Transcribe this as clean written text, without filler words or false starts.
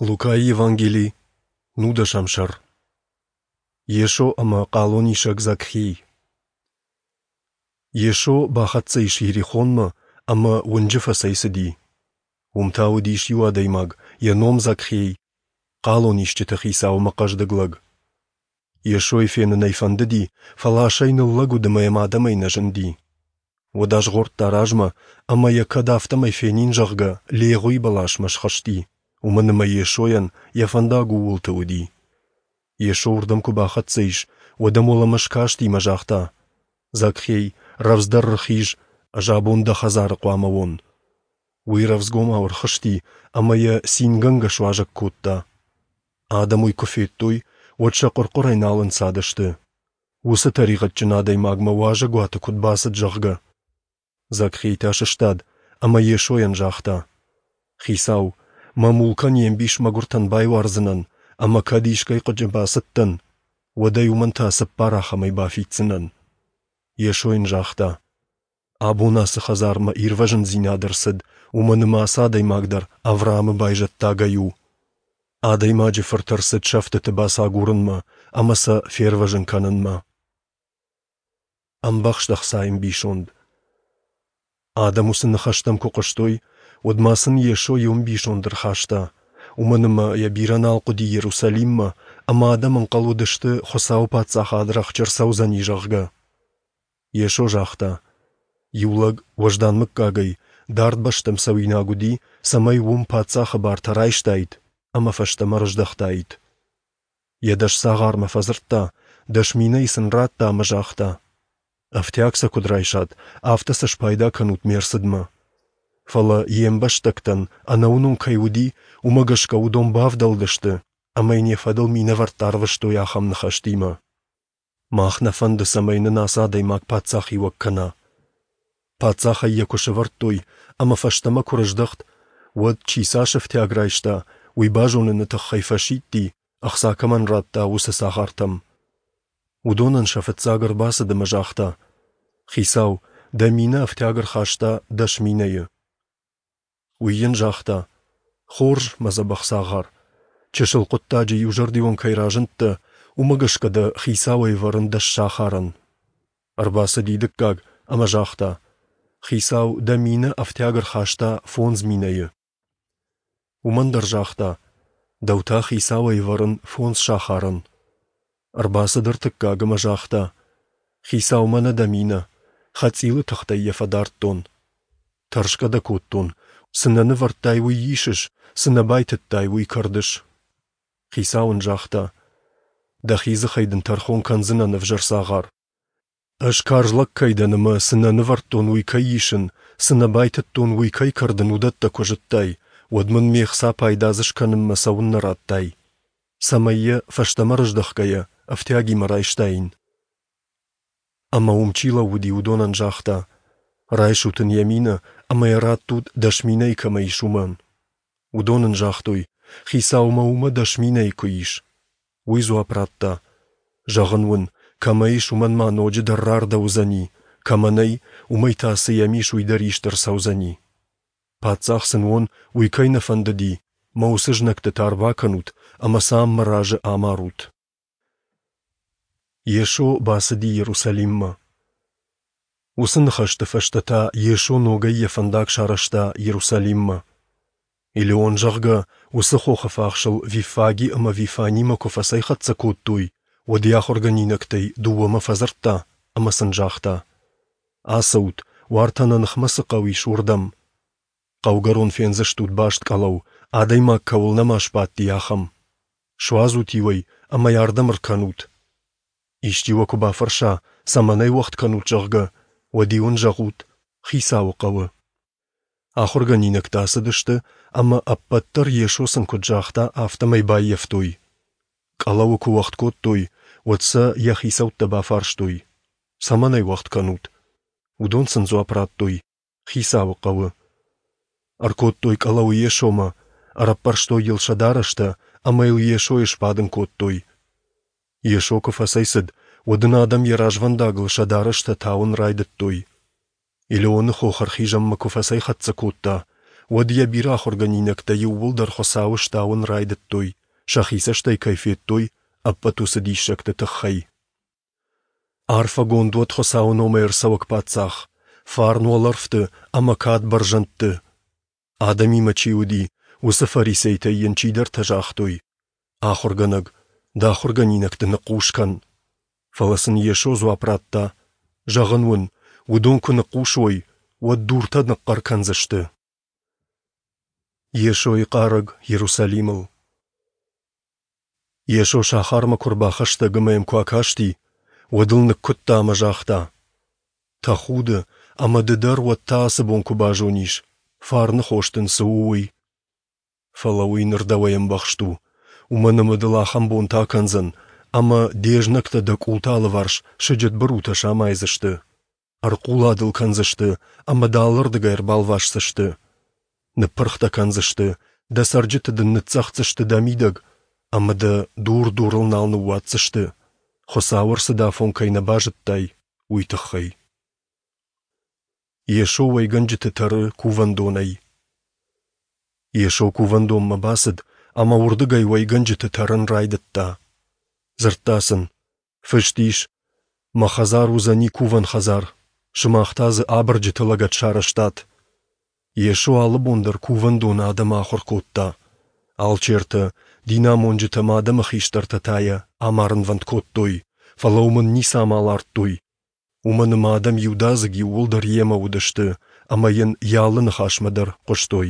Лукайы Евангели, нудӕсӕм сӕр. Йесо ӕмӕ хъалонисӕг Закхей. Йесо бахӕццӕ ис Иерихонмӕ ӕмӕ уынджы фӕцӕйцыди. Уым та уыдис иу адӕймаг, йӕ ном Закхей, хъалонисджыты хицау ӕмӕ хъӕздыг лӕг. Йесойы фенын ӕй фӕндыди, фӕлӕ асӕй ныллӕг уыд ӕмӕ йӕм адӕмӕй нӕ зынди. Уӕд азгъордта размӕ, ӕмӕ йӕ кӕд афтӕмӕй фенин, зӕгъгӕ, легъуи бӕласмӕ схызти, уымӕн ӕмӕ Йесойӕн йӕ фӕндаг ууылты уыди. Йесо уырдӕм куы бахӕццӕ ис, уӕд ӕм уӕлӕмӕ скасти ӕмӕ загъта: «Закхей, рӕвдздӕр ӕрхиз, ӕз абон дӕ хӕдзары хъуамӕ уон». Уый рӕвдзгомау ӕрхызти ӕмӕ йӕ цингӕнгӕ суазӕг кодта. Адӕм уый куы федтой, уӕд сӕ хъуыр-хъуырӕй нал ӕнцадысты. Уыцы тӕригъӕдджын адӕймагмӕ уазӕгуаты куыд бацыд, зӕгъгӕ. Закхей та сыстад ӕмӕ Йесойӕн загъта: «Хицау, мӕ мулкӕн йе мбис мӕгуыртӕн байуардзынӕн, ӕмӕ кӕд искӕй хъыджы бацыдтӕн, уӕд ӕй уымӕн та цыппар ахӕмӕй бафиддзынӕн». Йесо йын загъта: «Абон ацы хӕдзармӕ ирвӕзындзинад ӕрцыд, уымӕн ӕмӕ ацы адӕймаг дӕр Авраамы байзӕддагӕй у. Адӕймаджы Фырт ӕрцыд сӕфтыты бацагурынмӕ ӕмӕ сӕ фервӕзын кӕнынмӕ». Ӕмбӕхст ӕхцайы ӕмбисонд. Адӕм уыцы ныхӕстӕм куы хъуыстой, уӕд ма сын Йесо иу ӕмбисонд ӕрхаста, уымӕн ӕмӕ йӕ бирӕ нал хъуыди Иерусалиммӕ, ӕмӕ адӕм ӕнхъӕл уыдысты, Хуыцауы Паддзахад рӕхджы ӕрцӕудзӕни, зӕгъгӕ. Йесо загъта: Иу лӕг уӕздан мыггагӕй дард бӕстӕм цӕуинаг уыди, цӕмӕй уым паддзахы бартӕ райстаид ӕмӕ фӕстӕмӕ рыздӕхтаид. Йӕ дӕс цагъармӕ фӕдзырдта, дӕс минӕйы сын радта ӕмӕ загъта: Ӕфтиаг сӕ куыд райсат, афтӕ сӕ спайда кӕнут ме рцыдмӕ. Фӕлӕ йе мбӕстӕгтӕн ӕнӕуынон кӕй уыди, уымӕ гӕсгӕ уыдон бавдӕлдысты ӕмӕ йын йӕ фӕдыл минӕвӕрттӕ арвыстой ахӕм ныхӕстимӕ: Мах нӕ фӕнды, цӕмӕй нын ацы адӕймаг паддзахиуӕг кӕна. Паддзахӕй йӕ куы сӕвӕрдтой ӕмӕ фӕстӕмӕ куы рыздӕхт, уӕд, чи цас ӕфтиаг райста, уый базоныны тыххӕй фӕсидти, ӕхца кӕмӕн радта, уыцы цагъартӕм. Уыдонӕн сӕ фыццаг ӕрбацыд ӕмӕ загъта: «Хицау, дӕ минӕ ӕфтиаг ӕрхаста дӕс минӕйы». Уый йын загъта: «Хорз, мӕ дзӕбӕх цагъар, чысыл хъуыддаджы иузӕрдион кӕй разындтӕ, уымӕ гӕсгӕ дӕ хицауӕй ӕвӕрын дӕс сахарӕн». Ӕрбацыди дыккаг ӕмӕ загъта: «Хицау, дӕ минӕ ӕфтиаг ӕрхаста фондз минӕйы». Уымӕн дӕр загъта: «Дӕу та хицауӕй ӕвӕрын фондз сахарӕн». Ӕрбацыд ӕртыккаг ӕмӕ загъта: «Хицау, мӕнӕ дӕ минӕ, хӕцъилы тыхтӕй йӕ фӕдардтон. Тӕрсгӕ дӕ кодтон, цы нӕ нывӕрдтай, уый исыс, цы нӕ байтыдтай, уый кӕрдыс». Хицау ын загъта: «Дӕхи дзыхӕй дын тӕрхон кӕндзынӕн, ӕвзӕр цагъар. Ӕз карз лӕг кӕй дӕн ӕмӕ цы нӕ нывӕрдтон, уый кӕй исын, цы нӕ байтыдтон, уый кӕй кӕрдын, уыдӕттӕ куы зыдтай, уӕд мын ме хца пайда дзы скӕнынмӕ цӕуыннӕ радтай, цӕмӕй йӕ, фӕстӕмӕ рыздӕхгӕйӕ, ӕфтиагимӕ райстаин?» Ӕмӕ уым чи лӕууыди, уыдонӕн загъта: «Райсут ын йӕ минӕ ӕмӕ йӕ раттут, дӕс минӕйы кӕмӕ ис, уымӕн». Уыдон ын загътой: «Хицаумӕ уымӕ дӕс минӕйы куы ис». Уый дзуапп радта: «Зӕгъын уын, кӕмӕ ис, уымӕн ма ноджыдӕр рардӕуыдзӕни, кӕмӕ нӕй, уымӕй та цы йӕм ис, уый дӕр ист ӕрцӕудзӕни. Паддзах сын уон, уый кӕй нӕ фӕндыди, мӕ уыцы знӕгты та ӕрбакӕнут ӕмӕ сӕ ам мӕ разы амарут». Йесо бацыди Иерусалиммӕ. Уыцы ныхӕсты фӕстӕ та Йесо ногӕй йӕ фӕндаг сарӕзта Иерусалиммӕ. Елеон, зӕгъгӕ, уыцы хохы фахсыл Виффаги ӕмӕ Вифанимӕ куы фӕцӕйхӕццӕ кодтой, уӕд йӕ ахуыргӕнинӕгтӕй дыууӕмӕ фӕдзырдта ӕмӕ сын загъта: «Ацӕут, уартӕ нӕ ныхмӕ цы хъӕу ис, уырдӕм. Хъӕугӕрон фендзыстут баст къӕлӕу, адӕймаг кӕуыл нӕма сбадти, ахӕм. Суадзут-иу ӕй ӕмӕ йӕ ардӕм ӕркӕнут. Исчи уӕ куы бафӕрса, цӕмӕн ӕй уӕгъд кӕнут, зӕгъгӕ, уӕд-иу ын зӕгъут: Хицауы хъӕуы. Ахуыргӕнинӕгтӕ ацыдысты ӕмӕ ӕппӕт дӕр Йесо сын куыд загъта, афтӕмӕй баййӕфтой. Къӕлӕуы куы уӕгъд кодтой, уӕд сӕ йӕ хицӕуттӕ бафарстой: Цӕмӕн ӕй уӕгъд кӕнут? Уыдон сын дзуапп радтой: Хицауы хъӕуы. Ӕркодтой къӕлӕуы Йесомӕ, ӕрӕппӕрстой йыл сӕ дарӕстӕ ӕмӕ йыл Йесойы сбадын кодтой. Йесо куы фӕцӕйцыд, уӕд ын адӕм йӕ развӕндагыл сӕ дарӕстӕ тауын райдыдтой. Елеоны хох ӕрхизӕнмӕ куы фӕцӕйхӕццӕ кодта, уӕд йӕ бирӕ ахуыргӕнинӕгтӕ иууылдӕр Хуыцауы стауын райдыдтой, сӕхи цӕстӕй кӕй федтой, ӕппӕт уыцы диссӕгты тыххӕй. Арфӕгонд уӕд Хуыцауы номӕй ӕрцӕуӕг Паддзах, фарн уӕлӕрвты ӕмӕ кад бӕрзӕндты. Адӕмимӕ чи уыди, уыцы фарисейтӕй йын чидӕртӕ загътой: Ахуыргӕнӕг, дӕ ахуыргӕнинӕгты ныхъхъус кӕн. Фӕлӕ сын Йесо дзуапп радта: Зӕгъын уын, уыдон куы ныхъхъус уой, уӕд дуртӕ ныхъхъӕр кӕндзысты. Йесойы хъарӕг Иерусалимыл. Йесо сахармӕ куы рбахӕстӕг ӕмӕ йӕм куы акасти, уӕд ыл ныккуыдта ӕмӕ загъта: Тӕхуды, ӕмӕ ды дӕр уӕд та ацы бон куы базонис, фарны хос дын цы у, уый. Фӕлӕ уый ныр дӕуӕй ӕмбӕхст у, уымӕн ӕмӕ дыл ахӕм бонтӕ акӕндзӕн, ӕмӕ де знӕгтӕ дӕ къулты алыварс сыджытбырутӕ самайдзысты, ӕрхъула дыл кӕндзысты ӕмӕ дӕ алырдыгӕй ӕрбалвасдзысты. Ныппырх дӕ кӕндзысты, дӕ цӕрджыты дын ныццӕгъддзысты дӕ мидӕг, ӕмӕ дӕ дур дурыл нал ныууадздзысты, Хуыцауы ӕрцыдафон кӕй нӕ базыдтай, уый тыххӕй. Йесо уӕйгӕнджыты тӕры кувӕндонӕй. Йесо кувӕндонмӕ бацыд ӕмӕ уырдыгӕй уӕйгӕнджыты тӕрын райдыдта. Дзырдта сын, Фыст ис, Мӕ хӕдзар уыдзӕни кувӕн хӕдзар, сымах та дзы абырджыты лӕгӕт сарӕзтат. Йесо алы бон дӕр кувӕндоны адӕмы ахуыр кодта. Алчертӕ, динамонджытӕ ӕмӕ адӕмы хистӕртӕ та йӕ амарынвӕнд кодтой, фӕлӕ уымӕн ницы амал ардтой, уымӕн ӕмӕ адӕм иудадзыг иууылдӕр йемӕ уыдысты ӕмӕ йын йӕ алы ныхасмӕ дӕр хъуыстой.